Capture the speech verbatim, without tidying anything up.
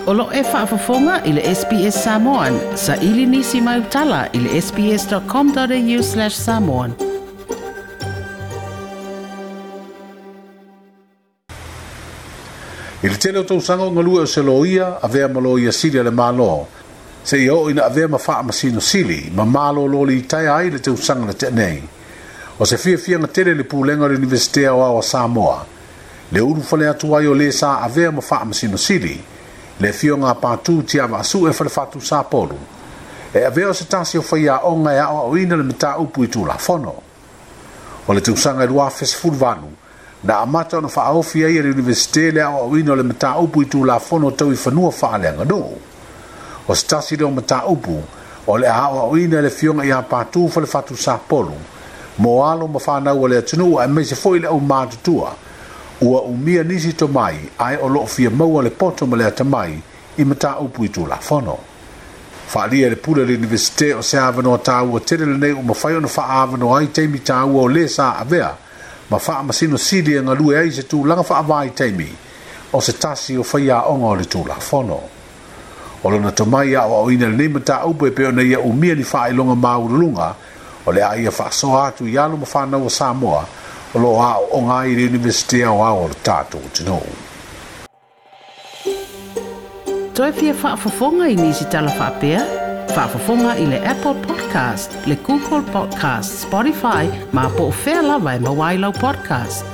O lo e faafofoga i le S B S Samoan, sa ili nisi mai utala i le S B S dot com dot A U slash samoan. I le tele o tausaga o galue o se loia, avea ma loia sili a le Malo, seia oo ina avea ma faamasino sili, ma malōlō litaea ai le tausaga na tea nei. O se fiafiaga tele le pulega o le Iunivesite Aoao a Samoa, le ulufale atu ai o le sa avea ma faamasino sili, le afioga a Patu Tiavaasue Falefatu Sapolu, e avea o se tasi o faiaoga e aoaoina le mataupu i Tulafono. O le tausaga e lua afe sefuluvalu, na amata ona faaofi ai e le Iunivesite le aoaoina o le mataupu i Tulafono tau i fanua faaleaganuu. O se tasi lea o mataupu o le aoaoina e le afioga ia Patu Falefatu Sapolu, mo alo ma fanau o le atunuu aemaise foi le aumatutua, ua umia nisi tomai ae o loo fia maua le poto ma le atamai i mataupu i Tulafono. Faaalia e le pule o le Iunivesite o se avanoa taua tele lenei ua mafai ona faaavanoa ai taimi taua o le sa avea ma faamasino sili e galue ai se tulaga faavaitaimi o se tasi o faiaoga o le Tulafono. O lona tomai aoaoina lenei mataupu e pei ona ia umia ni faailoga maualuluga o le a ia faasoa atu i alo ma fanau o Samoa o loo aooga ai i le Iunivesite Aoao o le tatou atunuu. Toe fia faafofoga i nisi tala faapea? Faafofoga i le Apple Podcast, le Google Podcast, Spotify, ma po o fea lava e maua ai lau podcast.